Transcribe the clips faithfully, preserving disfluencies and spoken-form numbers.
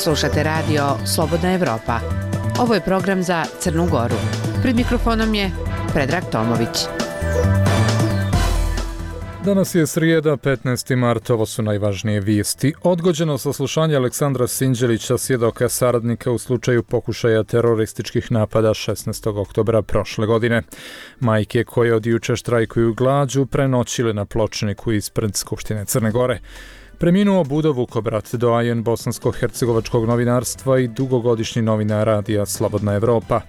Slušate radio Slobodna Evropa. Ovo je program za Crnu Goru. Pred mikrofonom je Predrag Tomović. Danas je srijeda, petnaesti mart, ovo su najvažnije vijesti. Odgođeno saslušanje Aleksandra Sinđelića, svjedoka saradnika u slučaju pokušaja terorističkih napada šesnaestog oktobra prošle godine. Majke koje od juče štrajkuju glađu prenoćile na pločniku ispred Skupštine Crne Gore. Preminuo Budo Vukobrat, doajen bosansko-hercegovačkog novinarstva i dugogodišnji novinar radija Slobodna Evropa.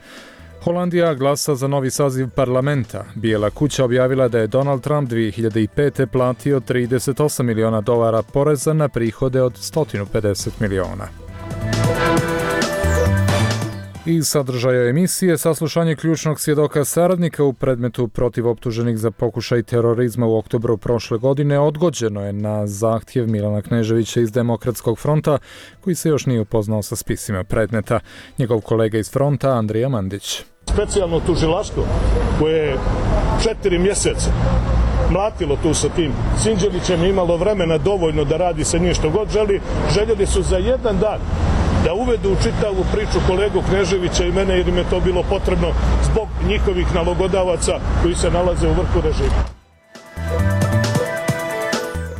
Holandija glasa za novi saziv parlamenta. Bijela kuća objavila da je Donald Trump dvije hiljade pete. platio trideset osam miliona dolara poreza na prihode od sto pedeset miliona. Iz sadržaja emisije saslušanje ključnog svjedoka saradnika u predmetu protiv optuženih za pokušaj terorizma u oktobru prošle godine odgođeno je na zahtjev Milana Kneževića iz Demokratskog fronta, koji se još nije upoznao sa spisima predmeta. Njegov kolega iz fronta, Andrija Mandić. Specijalno tužilaštvo koje je četiri mjeseca mlatilo tu sa tim Sinđelićem, imalo vremena dovoljno da radi sa njim što god želi, željeli su za jedan dan da uvedu u čitavu priču kolegu Kneževića i mene, jer im je to bilo potrebno zbog njihovih nalogodavaca koji se nalaze u vrhu režima.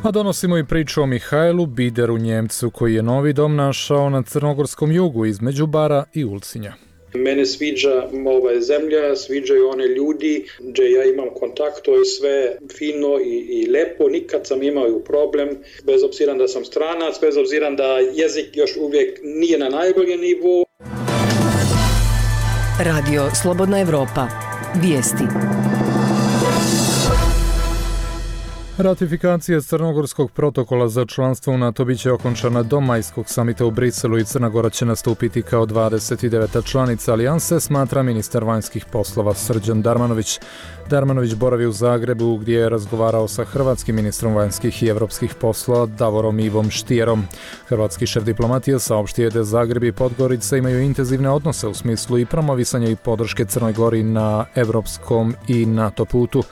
A donosimo i priču o Mihajlu Bideru, Njemcu koji je novi dom našao na crnogorskom jugu između Bara i Ulcinja. Mene sviđa ova zemlja, sviđaju one ljudi, gdje ja imam kontakt, to je sve fino i, i lepo, nikad sam imao problem, bez obzira da sam stranac, bez obzira da jezik još uvijek nije na najboljem nivou. Radio Slobodna Evropa. Vijesti. Ratifikacija Crnogorskog protokola za članstvo u NATO biće okončana do majskog samita u Briselu i Crna Gora će nastupiti kao dvadeset deveta članica alijanse, smatra ministar vanjskih poslova Srđan Darmanović. Darmanović boravi u Zagrebu gdje je razgovarao sa hrvatskim ministrom vanjskih i evropskih poslova Davorom Ivom Štijerom. Hrvatski šef diplomatije saopštio je da Zagreb i Podgorica imaju intenzivne odnose u smislu i promovisanja i podrške Crnoj Gori na evropskom i NATO putu.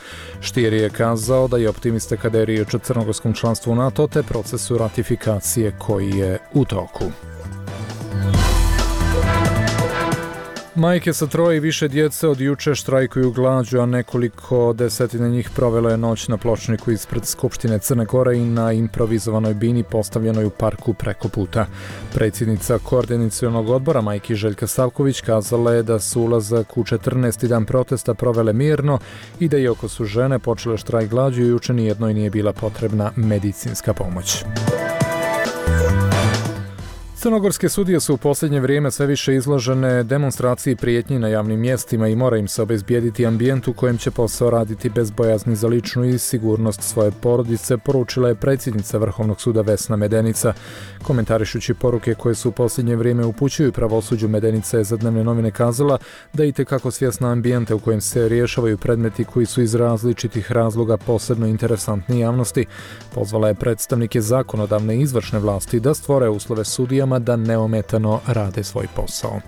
Štijer je kazao da je optimista kada je riječ o crnogorskom članstvu u NATO te procesu ratifikacije koji je u toku. Majke sa troje i više djece od juče štrajkuju glađu, a nekoliko desetina njih provelo je noć na pločniku ispred Skupštine Crne Gore i na improvizovanoj bini postavljenoj u parku preko puta. Predsjednica koordinacionog odbora majki Željka Stavković kazala je da su ulazak u četrnaesti dan protesta provele mirno i da iako su žene počele štrajk glađu, juče nijednoj nije bila potrebna medicinska pomoć. Crnogorske sudije su u posljednje vrijeme sve više izložene demonstraciji prijetnji na javnim mjestima i mora im se obezbijediti ambijent u kojem će posao raditi bez bojazni za ličnu i sigurnost svoje porodice, poručila je predsjednica Vrhovnog suda Vesna Medenica. Komentarišući poruke koje su u posljednje vrijeme upućuju pravosuđu, Medenica je za Dnevne novine kazala da je itekako svjesna ambijenta u kojem se rješavaju predmeti koji su iz različitih razloga posebno interesantni javnosti. Pozvala je predstavnike zakonodavne i izvršne vlasti da stvore uslove sudijama da neometano rade svoj posao.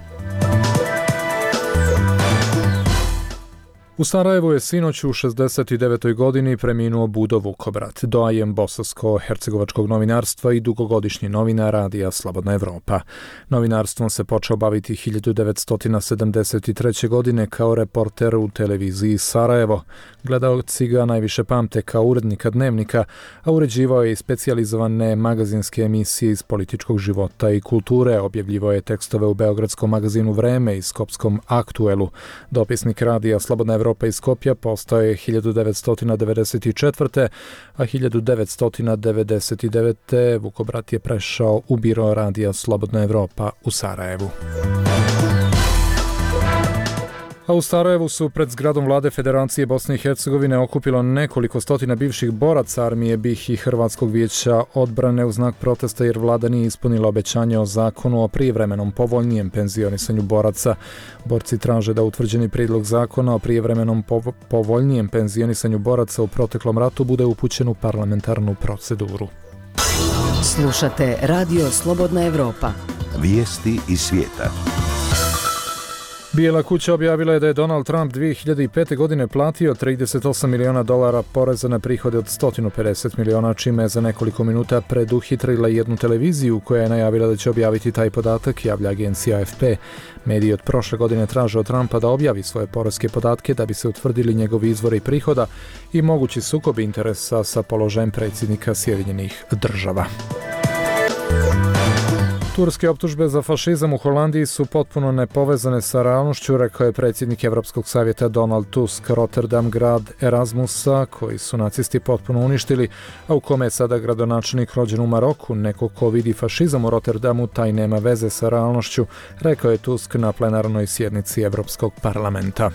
U Sarajevu je sinoć u šezdeset devetoj godini preminuo Budo Vukobrat, doajen bosansko-hercegovačkog novinarstva i dugogodišnji novinar radija Slobodna Evropa. Novinarstvom se počeo baviti hiljadu devetsto sedamdeset treće. godine kao reporter u televiziji Sarajevo. Gledaoci ga najviše pamte kao urednika Dnevnika, a uređivao je i specijalizovane magazinske emisije iz političkog života i kulture, objavljivao je tekstove u beogradskom magazinu Vreme i skopskom Aktuelu. Dopisnik radija Slobodna Evropa Evropa iz Skopja postao je hiljadu devetsto devedeset četvrte. a hiljadu devetsto devedeset devete. Vukobrat je prešao u biro radija Slobodna Evropa u Sarajevu. A u Sarajevu su pred zgradom vlade Federacije Bosne i Hercegovine okupilo nekoliko stotina bivših boraca armije B I H i Hrvatskog vijeća odbrane u znak protesta jer vlada nije ispunila obećanje o zakonu o prijevremenom povoljnijem penzionisanju boraca. Borci traže da utvrđeni prijedlog zakona o prijevremenom povoljnijem penzionisanju boraca u proteklom ratu bude upućen u parlamentarnu proceduru. Slušate Radio Slobodna Evropa. Vijesti iz svijeta. Bijela kuća objavila je da je Donald Trump dvije hiljade pete. godine platio trideset osam miliona dolara poreza na prihode od sto pedeset miliona, čime je za nekoliko minuta preduhitrila jednu televiziju koja je najavila da će objaviti taj podatak, javlja agencija A F P. Mediji od prošle godine traže od Trumpa da objavi svoje poreske podatke da bi se utvrdili njegovi izvori prihoda i mogući sukob interesa sa položajem predsjednika Sjedinjenih država. Turske optužbe za fašizam u Holandiji su potpuno nepovezane sa realnošću, rekao je predsjednik Evropskog savjeta Donald Tusk. Rotterdam, grad Erasmusa, koji su nacisti potpuno uništili, a u kome je sada gradonačelnik rođen u Maroku, neko ko vidi fašizam u Rotterdamu, taj nema veze sa realnošću, rekao je Tusk na plenarnoj sjednici Evropskog parlamenta.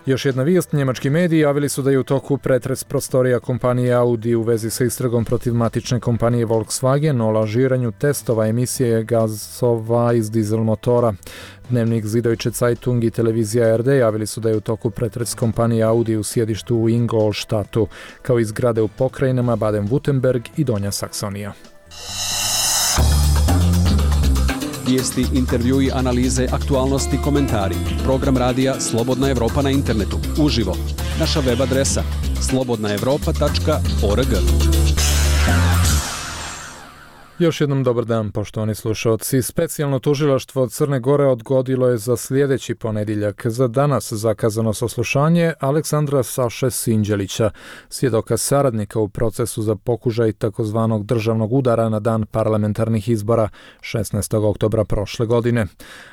Još jedna vijest, njemački mediji javili su da je u toku pretres prostorija kompanije Audi u vezi sa istragom protiv matične kompanije Volkswagen o lažiranju testova emisije gasova iz dizel motora. Dnevnik Süddeutsche Zeitung i televizija R D javili su da je u toku pretres kompanije Audi u sjedištu u Ingolstadtu, kao i zgrade u pokrajinama Baden-Württemberg i Donja Saksonija. Vijesti, intervjui, analize, aktualnosti, komentari. Program radija Slobodna Evropa na internetu. Uživo. Naša web adresa slobodna evropa tačka org. Još jednom dobar dan, poštovani slušalci. Specijalno tužilaštvo Crne Gore odgodilo je za sljedeći ponedjeljak za danas zakazano saslušanje Aleksandra Saše Sinđelića, svjedoka saradnika u procesu za pokušaj takozvanog državnog udara na dan parlamentarnih izbora šesnaestog oktobra prošle godine.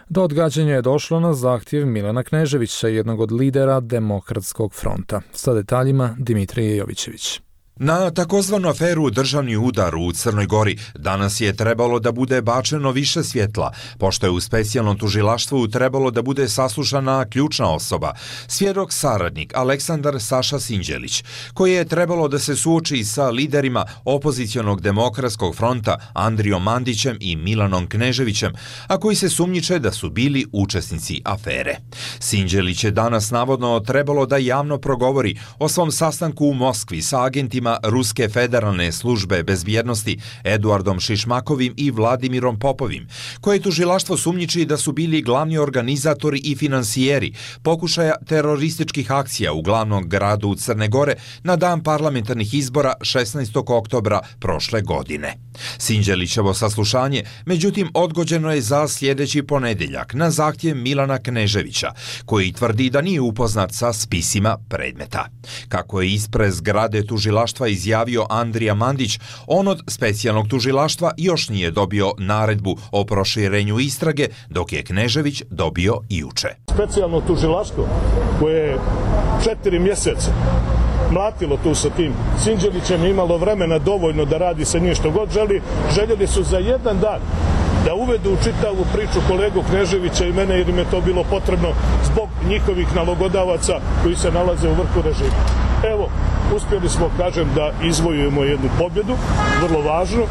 Do odgađanja je došlo na zahtjev Milana Kneževića, jednog od lidera Demokratskog fronta. Sa detaljima Dimitrije Jovićević. Na takozvanu aferu državni udar u Crnoj Gori danas je trebalo da bude bačeno više svjetla, pošto je u specijalnom tužilaštvu trebalo da bude saslušana ključna osoba, svjedok saradnik Aleksandar Saša Sinđelić, koji je trebalo da se suoči sa liderima opozicionog Demokratskog fronta Andrijom Mandićem i Milanom Kneževićem, a koji se sumnjiče da su bili učesnici afere. Sinđelić je danas navodno trebalo da javno progovori o svom sastanku u Moskvi sa agentima Ruske federalne službe bezbjednosti Eduardom Šišmakovim i Vladimirom Popovim, koje tužilaštvo sumnjiči da su bili glavni organizatori i finansijeri pokušaja terorističkih akcija u glavnom gradu Crne Gore na dan parlamentarnih izbora šesnaestog oktobra prošle godine. Sinđelićevo saslušanje, međutim, odgođeno je za sljedeći ponedjeljak na zahtjev Milana Kneževića, koji tvrdi da nije upoznat sa spisima predmeta. Kako je ispred zgrade tužilaštva izjavio Andrija Mandić, on od specijalnog tužilaštva još nije dobio naredbu o proširenju istrage, dok je Knežević dobio juče. Specijalno tužilaštvo koje je četiri mjeseca mlatilo tu sa tim Sinđelićem, imalo vremena dovoljno da radi sa njim što god želi, željeli su za jedan dan da uvedu u čitavu priču kolegu Kneževića i mene, jer im je to bilo potrebno zbog njihovih nalogodavaca koji se nalaze u vrhu režima. Evo, uspjeli smo, kažem, da izvojujemo jednu pobjedu, vrlo važno.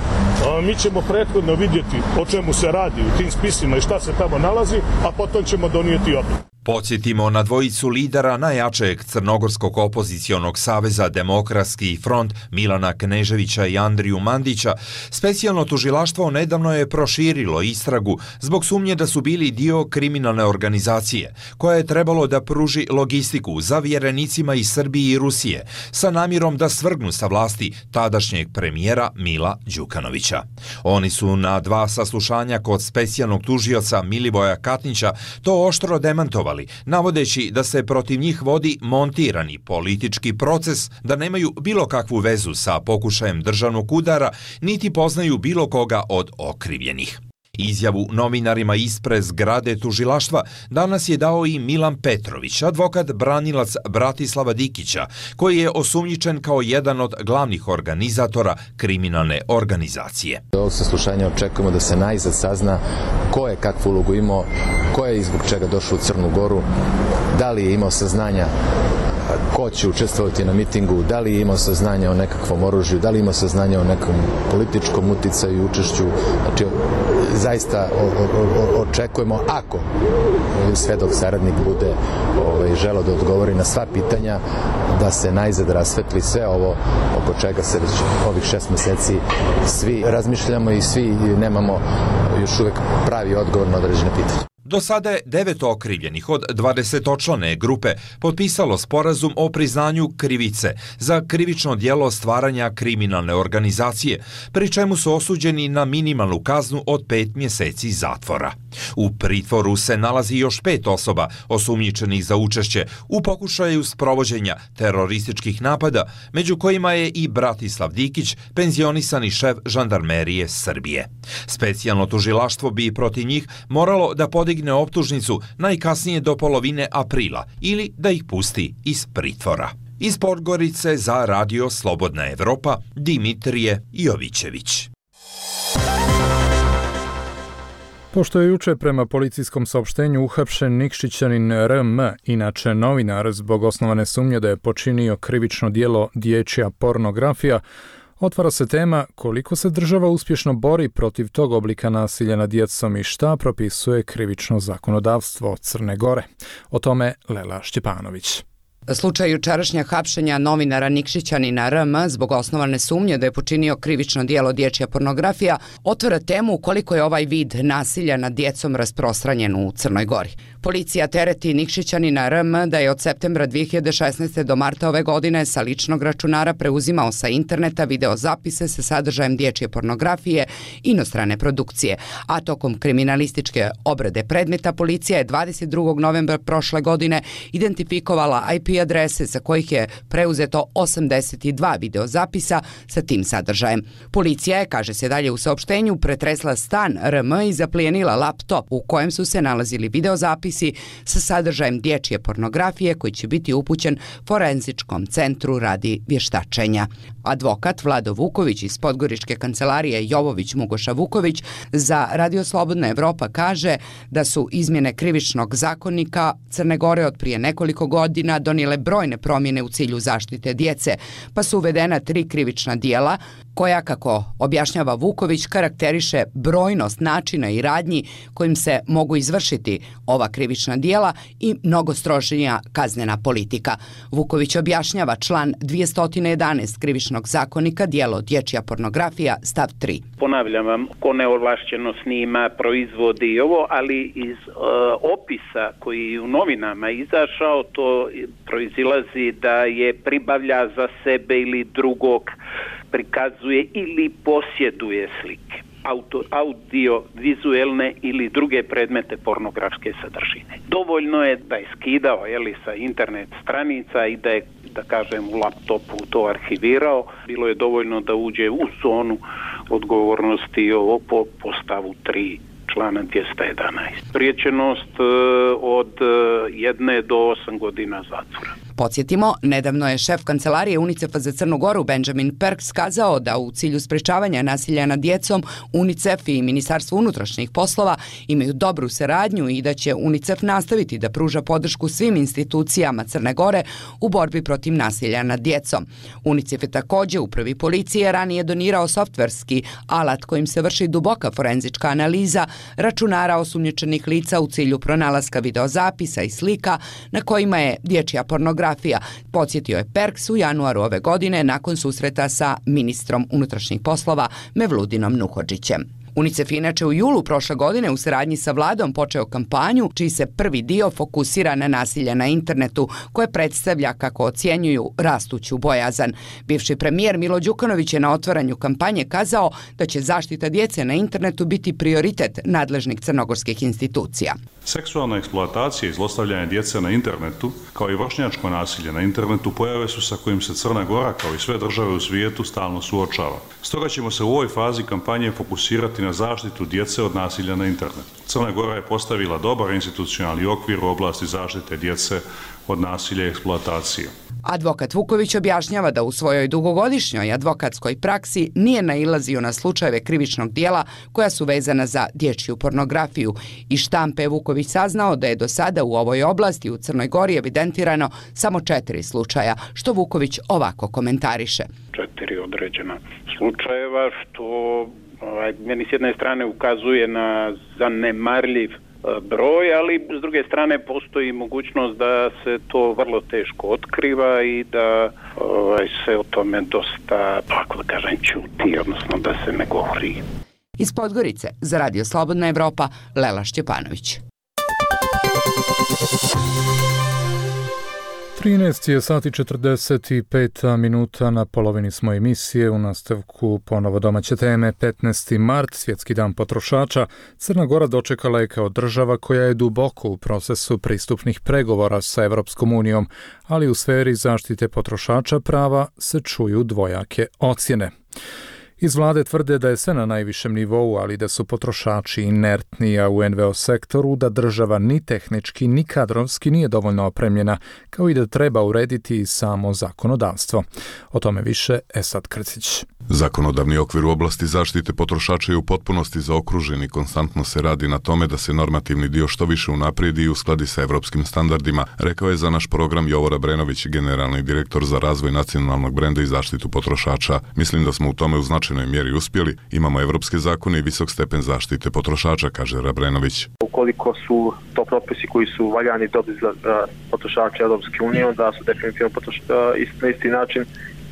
Mi ćemo prethodno vidjeti o čemu se radi u tim spisima i šta se tamo nalazi, a potom ćemo donijeti odluku. Podsjetimo na dvojicu lidera najjačeg crnogorskog opozicionog saveza Demokratski front Milana Kneževića i Andriju Mandića. Specijalno tužilaštvo nedavno je proširilo istragu zbog sumnje da su bili dio kriminalne organizacije koja je trebalo da pruži logistiku za vjerenicima iz Srbije i Rusije sa namjerom da svrgnu sa vlasti tadašnjeg premijera Mila Đukanovića. Oni su na dva saslušanja kod specijalnog tužioca Milivoja Katnića to oštro demantovali, navodeći da se protiv njih vodi montirani politički proces, da nemaju bilo kakvu vezu sa pokušajem državnog udara, niti poznaju bilo koga od okrivljenih. Izjavu novinarima ispred zgrade tužilaštva danas je dao i Milan Petrović, advokat branilac Bratislava Dikića, koji je osumnjičen kao jedan od glavnih organizatora kriminalne organizacije. Do ovog saslušanja očekujemo da se najzad sazna ko je kakvu ulogu imao, ko je i zbog čega došao u Crnu Goru, da li je imao saznanja ko će učestvovati na mitingu, da li je imao saznanja o nekakvom oružju, da li ima saznanja o nekom političkom uticaju i učešću. Znači, zaista očekujemo, ako svedok saradnik bude ovaj, želeo da odgovori na sva pitanja, da se najzad rasvetli sve ovo oko čega se već ovih šest meseci svi razmišljamo i svi nemamo još uvek pravi odgovor na određene pitanje. Do sada je devet okrivljenih od dvadesetočlane grupe potpisalo sporazum o priznanju krivice za krivično djelo stvaranja kriminalne organizacije, pri čemu su osuđeni na minimalnu kaznu od pet mjeseci zatvora. U pritvoru se nalazi još pet osoba osumnjičenih za učešće u pokušaju sprovođenja terorističkih napada, među kojima je i Bratislav Dikić, penzionisani šef žandarmerije Srbije. Specijalno tužilaštvo bi protiv njih moralo da podigne optužnicu najkasnije do polovine aprila ili da ih pusti iz pritvora. Iz Podgorice za Radio Slobodna Evropa, Dimitrije Jovićević. Pošto je juče prema policijskom saopštenju uhapšen Nikšićanin R M, inače novinar, zbog osnovane sumnje da je počinio krivično djelo dječja pornografija, otvara se tema koliko se država uspješno bori protiv tog oblika nasilja nad djecom i šta propisuje krivično zakonodavstvo Crne Gore. O tome Lela Šćepanović. Slučaj jučerašnja hapšenja novinara Nikšićanina R M zbog osnovane sumnje da je počinio krivično djelo dječja pornografija otvara temu koliko je ovaj vid nasilja nad djecom rasprostranjen u Crnoj Gori. Policija tereti Nikšićanina R M da je od septembra dvije hiljade šesnaeste. do marta ove godine sa ličnog računara preuzimao sa interneta videozapise sa sadržajem dječje pornografije inostrane produkcije, a tokom kriminalističke obrade predmeta policija je dvadeset drugog novembra prošle godine identifikovala I P adrese sa kojih je preuzeto osamdeset dva videozapisa sa tim sadržajem. Policija je, kaže se dalje u saopštenju, pretresla stan R M i zaplijenila laptop u kojem su se nalazili videozapisi sa sadržajem dječje pornografije koji će biti upućen Forenzičkom centru radi vještačenja. Advokat Vlado Vuković iz Podgoričke kancelarije Jovović Mugoša Vuković za Radio Slobodna Evropa kaže da su izmjene krivičnog zakonika Crne Gore od prije nekoliko godina donijele brojne promjene u cilju zaštite djece, pa su uvedena tri krivična djela koja, kako objašnjava Vuković, karakteriše brojnost načina i radnji kojim se mogu izvršiti ova krivična djela i mnogo strožija kaznena politika. Vuković objašnjava član dvjesto jedanaest krivičnog zakonika, djelo dječja pornografija, stav tri. Ponavljam vam, ko neovlašćeno snima, proizvodi i ovo, ali iz uh, opisa koji je u novinama izašao, to proizilazi da je pribavlja za sebe ili drugog, prikazuje ili posjeduje slike, auto, audio, vizuelne ili druge predmete pornografske sadržine. Dovoljno je da je skidao jeli, sa internet stranica i da je, da kažem, u laptopu to arhivirao. Bilo je dovoljno da uđe u zonu odgovornosti ovo po, po stavu tri člana dvjesto jedanaest. Priječenost od jedne do osam godina zatvora. Podsjetimo, nedavno je šef kancelarije UNICEF-a za Crnu Goru Benjamin Perks kazao da u cilju sprečavanja nasilja nad djecom UNICEF i Ministarstvo unutrašnjih poslova imaju dobru saradnju i da će UNICEF nastaviti da pruža podršku svim institucijama Crne Gore u borbi protiv nasilja nad djecom. UNICEF je također upravi policije ranije donirao softverski alat kojim se vrši duboka forenzička analiza računara osumnjičenih lica u cilju pronalaska videozapisa i slika na kojima je dječja pornografija. Podsjetio je Perks u januaru ove godine nakon susreta sa ministrom unutrašnjih poslova Mevludinom Nuhodžićem. UNICEF inače u julu prošle godine u saradnji sa vladom počeo kampanju čiji se prvi dio fokusira na nasilje na internetu koje predstavlja, kako ocjenjuju, rastuću bojazan. Bivši premijer Milo Đukanović je na otvaranju kampanje kazao da će zaštita djece na internetu biti prioritet nadležnih crnogorskih institucija. Seksualna eksploatacija i zlostavljanje djece na internetu, kao i vršnjačko nasilje na internetu, pojave su sa kojim se Crna Gora, kao i sve države u svijetu, stalno suočava. Stoga ćemo se u ovoj fazi kampanje fokusirati na na zaštitu djece od nasilja na internetu. Crna Gora je postavila dobar institucionalni okvir u oblasti zaštite djece od nasilja i eksploatacije. Advokat Vuković objašnjava da u svojoj dugogodišnjoj advokatskoj praksi nije nailazio na slučajeve krivičnog dijela koja su vezana za dječju pornografiju. Iz štampe je Vuković saznao da je do sada u ovoj oblasti u Crnoj Gori evidentirano samo četiri slučaja, što Vuković ovako komentariše. Četiri određena slučajeva, što ovaj, meni s jedne strane ukazuje na zanemarljiv broj, ali s druge strane postoji mogućnost da se to vrlo teško otkriva i da ovaj, se o tome dosta, tako da kažem, ćuti, odnosno da se ne govori. Iz Podgorice za Radio Slobodna Evropa, Lela Šćepanović. trinaest je sati četrdeset pet minuta, na polovini smo emisije. U nastavku ponovo domaće teme. petnaesti mart, svjetski dan potrošača. Crna Gora dočekala je kao država koja je duboko u procesu pristupnih pregovora sa Evropskom unijom, ali u sferi zaštite potrošača prava se čuju dvojake ocjene. Iz vlade tvrde da je sve na najvišem nivou, ali da su potrošači inertni, a u en ve o sektoru da država ni tehnički ni kadrovski nije dovoljno opremljena, kao i da treba urediti samo zakonodavstvo. O tome više Esad Krcić. Zakonodavni okvir u oblasti zaštite potrošača je u potpunosti zaokružen i konstantno se radi na tome da se normativni dio što više unaprijedi i uskladi sa evropskim standardima, rekao je za naš program Jovo Rabrenović, generalni direktor za razvoj nacionalnog brenda i zaštitu potrošača. Mislim da smo u tome u značajnoj mjeri uspjeli, imamo evropske zakone i visok stepen zaštite potrošača, kaže Rabrenović. Ukoliko su to propisi koji su valjani i dobri za potrošače Evropske unije, onda su definitivno potroš... na isti način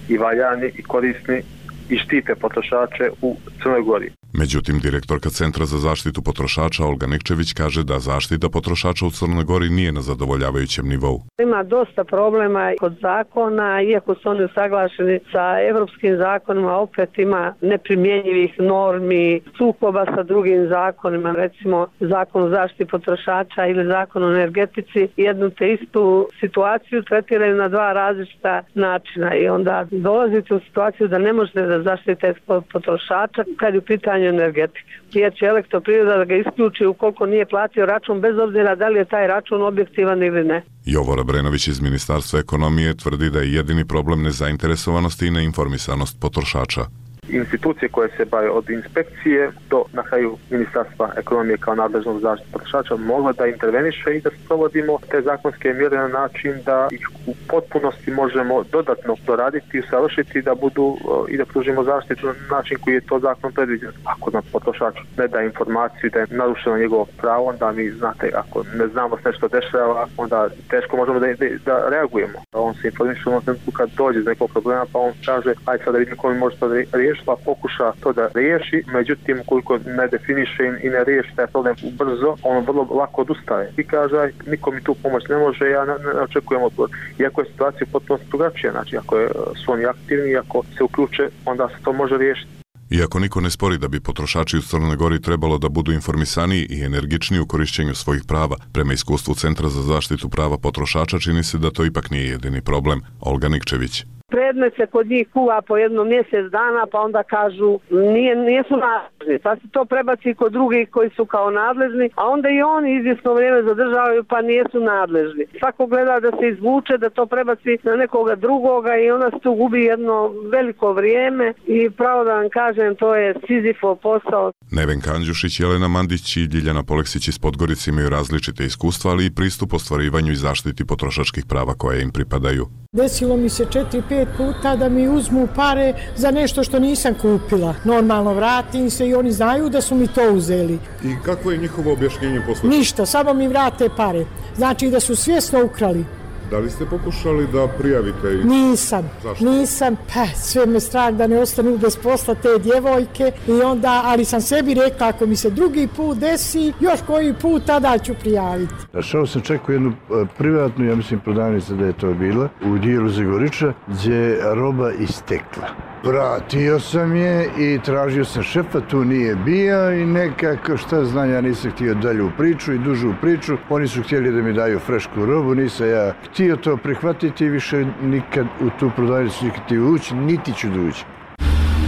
i valjani i korisni i štite potrošače u Crnoj Gori. Međutim, direktorka Centra za zaštitu potrošača Olga Nikčević kaže da zaštita potrošača u Crnoj Gori nije na zadovoljavajućem nivou. Ima dosta problema kod zakona, iako su oni usaglašeni sa evropskim zakonima, opet ima neprimjenjivih normi, sukoba sa drugim zakonima, recimo zakon o zaštiti potrošača ili zakon o energetici, jednu te istu situaciju tretiraju na dva različita načina i onda dolazite u situaciju da ne možete da zaštite potrošača kad je u pitanju energetike. Jer će Elektroprivreda da ga isključi ukoliko nije platio račun, bez obzira da li je taj račun objektivan ili ne. Jovo Rabrenović iz Ministarstva ekonomije tvrdi da je jedini problem nezainteresovanost i neinformisanost potrošača. Institucije koje se bave od inspekcije do na kraju Ministarstva ekonomije kao nadležnog zaštite potrošača mogla da interveniše i da sprovodimo te zakonske mjere na način da ih u potpunosti možemo dodatno doraditi i usavršiti da budu i da pružimo zaštitu na način koji je to zakon predviđen. Ako nam potrošač ne da informaciju da je narušeno njegovo pravo, onda mi znate, ako ne znamo se nešto dešava, onda teško možemo da, da, da reagujemo. On se informiše u trenutku kad dođe iz nekog problema, pa on kaže aj sad da vidim ko mi može to riješiti, pa pokuša to da riješi, međutim koliko ne definiše i ne riješi taj problem brzo, on vrlo lako odustaje i kaže niko mi tu pomoć ne može, ja ne, ne očekujem odgovor. Iako je situacija potpuno drugačija, znači ako je, su oni aktivni, ako se uključe, onda se to može riješiti. Iako niko ne spori da bi potrošači u Crnoj Gori trebalo da budu informisaniji i energičniji u korišćenju svojih prava, prema iskustvu Centra za zaštitu prava potrošača čini se da to ipak nije jedini problem. Olga Nikčević. Predmet se kod njih kuva po jedno mjesec dana, pa onda kažu nije, nisu nadležni, pa se to prebaci kod drugih koji su kao nadležni, a onda i oni izvjesno vrijeme zadržavaju pa nisu nadležni. Svako gleda da se izvuče, da to prebaci na nekoga drugoga i onda se tu gubi jedno veliko vrijeme i pravo da vam kažem, to je Sizifov posao. Nevenka Andjušić, Jelena Mandić i Ljiljana Poleksić iz Podgorice imaju različite iskustva, ali i pristup ostvarivanju i zaštiti potrošačkih prava koje im pripadaju. Desilo mi se četiri, pet puta da mi uzmu pare za nešto što nisam kupila. Normalno vratim se i oni znaju da su mi to uzeli. I kako je njihovo objašnjenje posle? Ništa, samo mi vrate pare. Znači da su svjesno ukrali. Da li ste pokušali da prijavite ih? Nisam, Zašto? nisam, pa sve me strah da ne ostanu bez posla te djevojke i onda, ali sam sebi rekla ako mi se drugi put desi, još koji put tada ću prijaviti. Našao sam čak u jednu privatnu, ja mislim prodavnicu da je to bila, u dijelu Zagoriča, gdje je roba istekla. Vratio sam je i tražio sam šefa, tu nije bio i nekako šta znam, ja nisam htio dalju priču i dužu priču. Oni su htjeli da mi daju frešku robu, nisam ja htio to prihvatiti i više nikad u tu prodavnicu nikad ti ući, niti ću doći.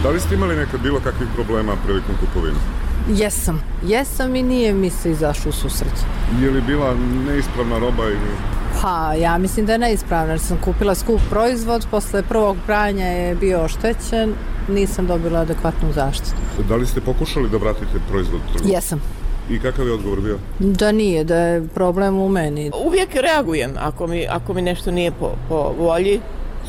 Da li ste imali nekad bilo kakvih problema prilikom kupovine? Jesam. Jesam i nije mi se izašao u susret. Je li bila neispravna roba ili... Pa, ja mislim da je neispravna, jer sam kupila skup proizvod, posle prvog pranja je bio oštećen, nisam dobila adekvatnu zaštitu. Da li ste pokušali da vratite proizvod u trgovinu? Jesam. I kakav je odgovor bio? Da nije, da je problem u meni. Uvijek reagujem, ako mi, ako mi nešto nije po, po volji,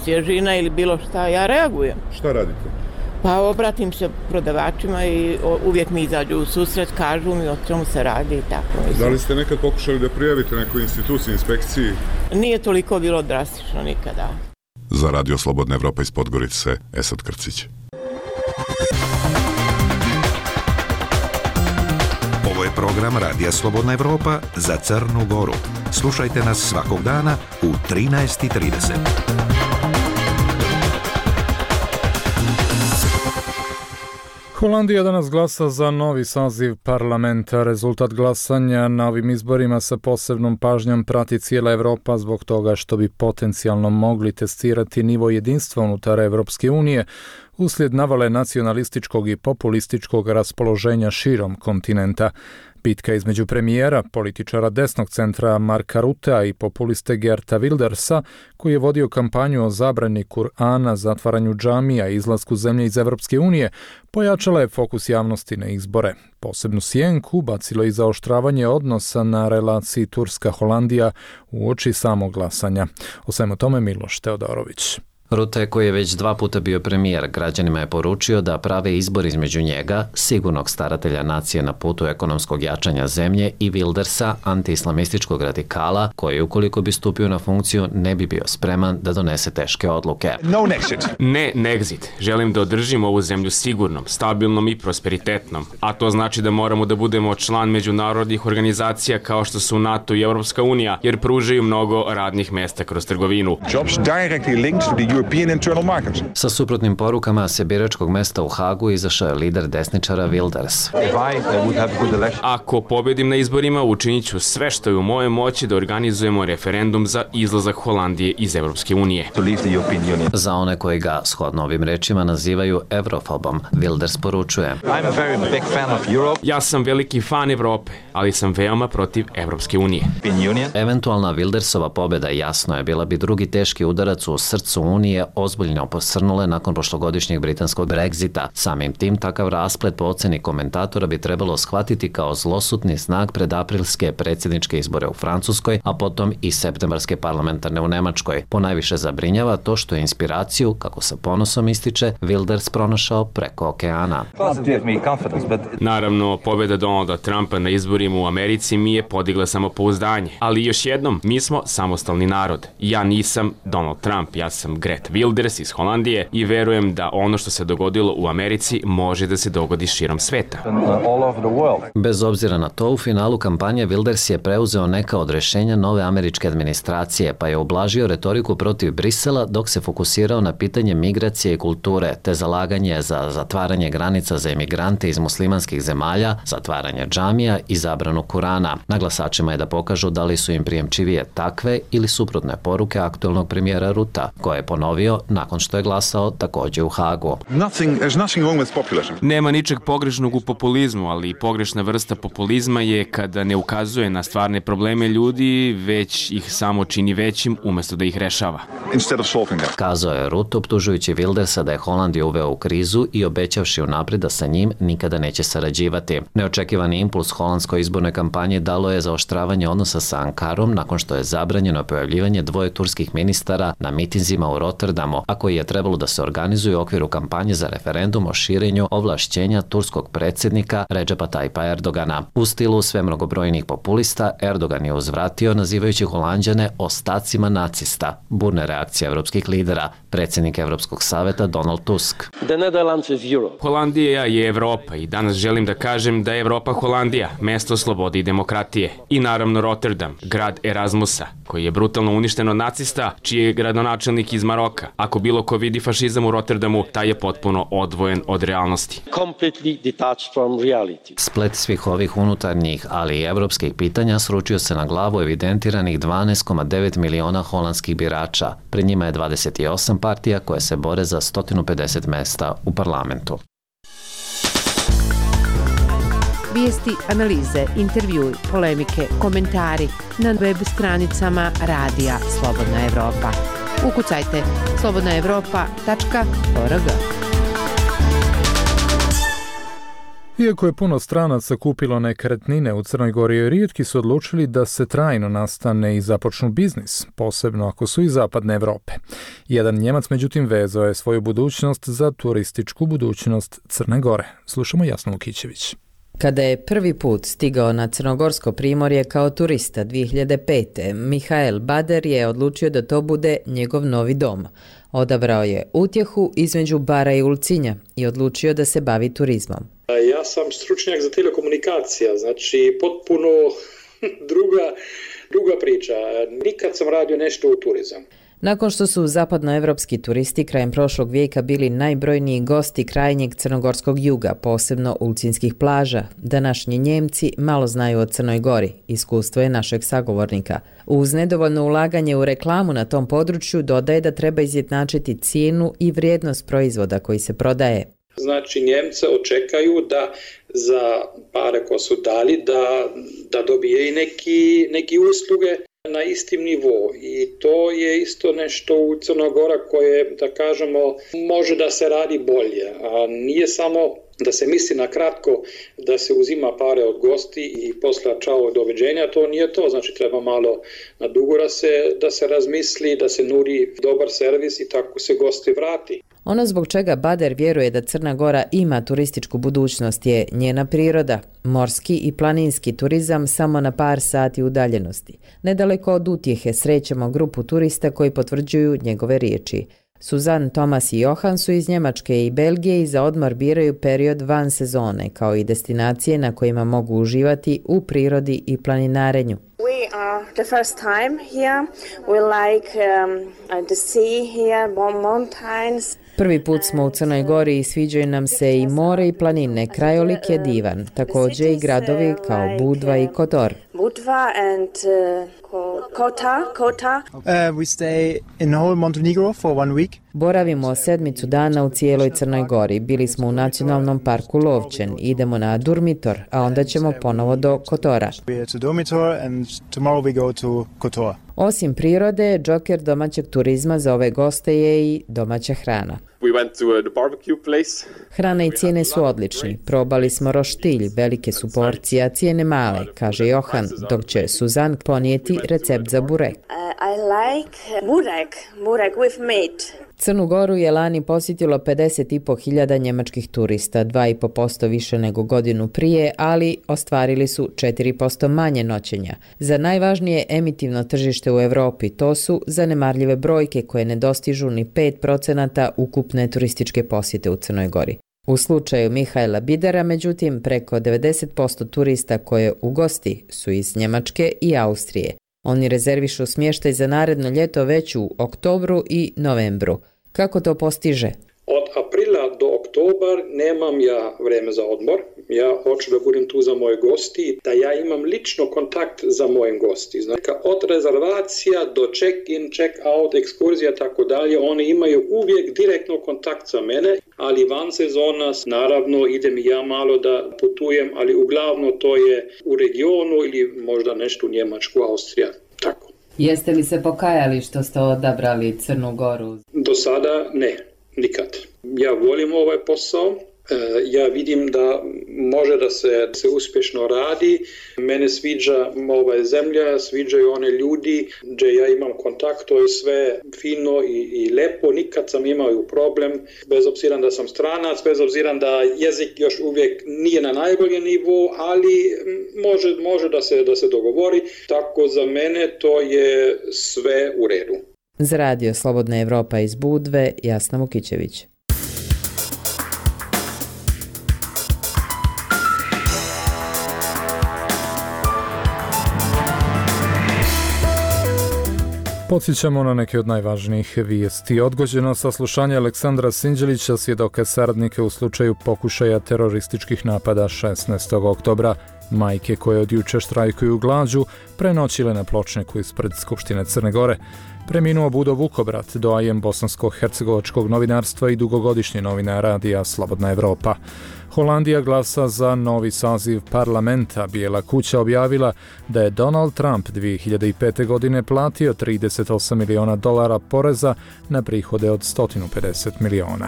svježina ili bilo šta, ja reagujem. Šta radite? Pa obratim se prodavačima i uvijek mi izađu u susret, kažu mi o čemu se radi i tako. Mislim. Da li ste nekad pokušali da prijavite nekoj instituciji, inspekciji? Nije toliko bilo drastično nikada. Za Radio Slobodna Evropa iz Podgorice, Esad Krcić. Ovo je program Radija Slobodna Evropa za Crnu Goru. Slušajte nas svakog dana u trinaest i trideset. Holandija danas glasa za novi saziv parlamenta. Rezultat glasanja na ovim izborima sa posebnom pažnjom prati cijela Evropa zbog toga što bi potencijalno mogli testirati nivo jedinstva unutar Evropske unije uslijed navale nacionalističkog i populističkog raspoloženja širom kontinenta. Bitka između premijera, političara desnog centra Marka Rutea i populiste Geerta Wildersa, koji je vodio kampanju o zabrani Kur'ana, zatvaranju džamija i izlasku zemlje iz Evropske unije, pojačala je fokus javnosti na izbore. Posebnu sjenku bacilo i zaoštravanje odnosa na relaciji Turska-Holandija uoči samog glasanja. O svemu tome Miloš Teodorović. Rutte, koji je već dva puta bio premijer, građanima je poručio da prave izbor između njega, sigurnog staratelja nacije na putu ekonomskog jačanja zemlje, i Wildersa, anti-islamističkog radikala, koji ukoliko bi stupio na funkciju ne bi bio spreman da donese teške odluke. No Nexit. Ne Nexit. Želim da održimo ovu zemlju sigurnom, stabilnom i prosperitetnom. A to znači da moramo da budemo član međunarodnih organizacija kao što su NATO i Evropska unija, jer pružaju mnogo radnih mesta kroz trgovinu. Jobs directly linked to the European internal market. Sa suprotnim porukama se biračkog mesta u Hagu izašao je lider desničara Wilders. Ako pobedim na izborima, učinit ću sve što je u moje moći da organizujemo referendum za izlazak Holandije iz Evropske unije. Za one koji ga, shodno ovim rečima, nazivaju evrofobom, Wilders poručuje: Ja sam veliki fan Evrope, ali sam veoma protiv Evropske unije. Eventualna Wildersova pobjeda, jasno je, bila bi drugi teški udarac u srcu Unije, ozbiljno posrnule nakon prošlogodišnjeg britanskog Brexita. Samim tim, takav rasplet po oceni komentatora bi trebalo shvatiti kao zlosutni znak pred aprilske predsjedničke izbore u Francuskoj, a potom i septembarske parlamentarne u Nemačkoj. Ponajviše zabrinjava to što je inspiraciju, kako sa ponosom ističe, Wilders pronašao preko okeana. Naravno, pobjeda Donalda Trumpa na izborima u Americi mi je podigla samopouzdanje. Ali još jednom, mi smo samostalni narod. Ja nisam Donald Trump, ja sam Geert Wilders iz Holandije i verujem da ono što se dogodilo u Americi može da se dogodi širom sveta. Bez obzira na to, u finalu kampanje Wilders je preuzeo neka od rješenja nove američke administracije, pa je ublažio retoriku protiv Brisela dok se fokusirao na pitanje migracije i kulture, te zalaganje za zatvaranje granica za emigrante iz muslimanskih zemalja, zatvaranje džamija i zabranu Kurana. Na glasačima je da pokažu da li su im prijemčivije takve ili suprotne poruke aktualnog premijera Ruta, koje je ponovio nakon što je glasao također u Hagu. Nema ničeg pogrešnog u populizmu, ali pogrešna vrsta populizma je kada ne ukazuje na stvarne probleme ljudi, već ih samo čini većim umjesto da ih rešava. Kazao je Rutte, optužujući Wildersa da je Holandiju uveo u krizu i obećavši unaprijed da sa njim nikada neće sarađivati. Neočekivani impuls holandskoj izbornoj kampanji dalo je zaoštravanje odnosa sa Ankarom nakon što je zabranjeno pojavljivanje dvoje turskih ministara na mitinzima u Rotterdamu, a koji je trebalo da se organizuje u okviru kampanje za referendum o širenju ovlašćenja turskog predsjednika Redžepa Tajpa Erdogana. U stilu sve mnogobrojnih populista, Erdogan je uzvratio nazivajući Holanđane ostacima nacista. Burne reakcije evropskih lidera, predsjednik Evropskog saveta Donald Tusk. Holandija je Evropa i danas želim da kažem da je Evropa Holandija, mesto slobode i demokratije. I naravno Rotterdam, grad Erasmusa, koji je brutalno uništen od nacista, čiji je gradonačelnik iz Maroka. Ako bilo ko vidi fašizam u Rotterdamu, taj je potpuno odvojen od realnosti. Splet svih ovih unutarnjih, ali i evropskih pitanja sručio se na glavu evidentiranih dvanaest zarez devet miliona holandskih birača. Pred njima je dvadeset osam partija koje se bore za sto pedeset mesta u parlamentu. Vijesti, analize, intervjui, polemike, komentari na web stranicama Radija Slobodna Evropa. Ukucajte slobodna evropa tačka org. Iako je puno stranaca kupilo nekretnine u Crnoj Gori, rijetki su odlučili da se trajno nastane i započnu biznis, posebno ako su iz zapadne Evrope. Jedan Njemac međutim vezao je svoju budućnost za turističku budućnost Crne Gore. Slušamo Jasnu Vukićević. Kada je prvi put stigao na crnogorsko primorje kao turista dvije hiljade pete. Mihael Bader je odlučio da to bude njegov novi dom. Odabrao je utjehu između bara i ulcinja i odlučio da se bavi turizmom. Ja sam stručnjak za telekomunikacija, znači potpuno druga, druga priča. Nikad sam radio nešto u turizam. Nakon što su zapadnoevropski turisti krajem prošlog vijeka bili najbrojniji gosti krajnjeg crnogorskog juga, posebno ulcinskih plaža, današnji Njemci malo znaju o Crnoj Gori, iskustvo je našeg sagovornika. Uz nedovoljno ulaganje u reklamu na tom području dodaje da treba izjednačiti cijenu i vrijednost proizvoda koji se prodaje. Znači Njemce očekaju da za pare ko su dali da, da dobije i neki, neki usluge na istim nivou i to je isto nešto u Crnoj Gori koje, da kažemo, može da se radi bolje, a nije samo da se misli na kratko da se uzima pare od gosti i posla čao doviđenja, to nije to, znači treba malo na dugo da se, da se razmisli, da se nudi dobar servis i tako se gosti vrati. Ono zbog čega Bader vjeruje da Crna Gora ima turističku budućnost je njena priroda, morski i planinski turizam samo na par sati udaljenosti. Nedaleko od Utjehe srećemo grupu turista koji potvrđuju njegove riječi. Suzan, Tomas i Johan su iz Njemačke i Belgije i za odmor biraju period van sezone, kao i destinacije na kojima mogu uživati u prirodi i planinarenju. We are the first time here. We like um, the sea here, mountains. Prvi put smo u Crnoj Gori i sviđaju nam se i more i planine, krajolik je divan, također i gradovi kao Budva i Kotor. Budva and uh, Kota, Kota. Uh, we stay in whole Montenegro for one week. Boravimo sedmicu dana u cijeloj Crnoj Gori. Bili smo u nacionalnom parku Lovćen. Idemo na Durmitor, a onda ćemo ponovo do Kotora. We are to Durmitor and tomorrow we go to Kotor. Osim prirode, džoker domaćeg turizma za ove goste je i domaća hrana. We went to the barbecue place. Hrana i cijene su odlični. Probali smo roštilj, velike su porcije, a cijene male, kaže Johan, dok će Suzan ponijeti recept za burek. Uh, I like burek, burek with meat. Crnu Goru je lani posjetilo pedeset i po hiljada njemačkih turista, dva i po posto više nego godinu prije, ali ostvarili su četiri posto manje noćenja. Za najvažnije emitivno tržište u Europi to su zanemarljive brojke koje ne dostižu ni pet procenata ukupne turističke posjete u Crnoj Gori. U slučaju Mihaela Bidera, međutim, preko devedeset posto turista koje ugosti su iz Njemačke i Austrije. Oni rezervišu smještaj za naredno ljeto već u oktobru i novembru. Kako to postiže? Od aprila do oktobar nemam ja vreme za odmor. Ja hoću da budem tu za moje gosti, da ja imam lično kontakt za moje gosti. Znači, od rezervacija do check-in, check-out, ekskurzija, tako dalje, oni imaju uvijek direktno kontakt za mene, ali van sezona, naravno, idem i ja malo da putujem, ali uglavnom to je u regionu ili možda nešto u Njemačku, Austrija, tako. Jeste li se pokajali što ste odabrali Crnu Goru? Do sada ne. Nikad. Ja volim ovaj posao, ja vidim da može da se, se uspješno radi, mene sviđa ova zemlja, sviđaju one ljudi, gdje ja imam kontakt, to je sve fino i, i lepo, nikad sam imao problem, bez obzira da sam stranac, bez obzira da jezik još uvijek nije na najboljem nivou, ali može, može da se, da se dogovori, tako za mene to je sve u redu. Za Radio Slobodna Evropa iz Budve, Jasna Vukićević. Podsjećamo na neke od najvažnijih vijesti. Odgođeno saslušanje Aleksandra Sinđelića, svjedoka saradnika u slučaju pokušaja terorističkih napada šesnaestog oktobra. Majke koje od juče štrajkuju glađu prenoćile na pločniku ispred Skupštine Crne Gore. Preminuo Budo Vukobrat, doajen bosansko-hercegovačkog novinarstva i dugogodišnji novinar radija Slobodna Evropa. Holandija glasa za novi saziv parlamenta. Bijela kuća objavila da je Donald Trump dvije hiljade pete. godine platio trideset osam miliona dolara poreza na prihode od sto pedeset miliona.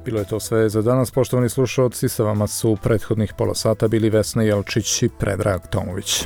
Bilo je to sve za danas, poštovani slušalci, sa vama su prethodnih pola sata bili Vesna Jelčić i Predrag Tomović.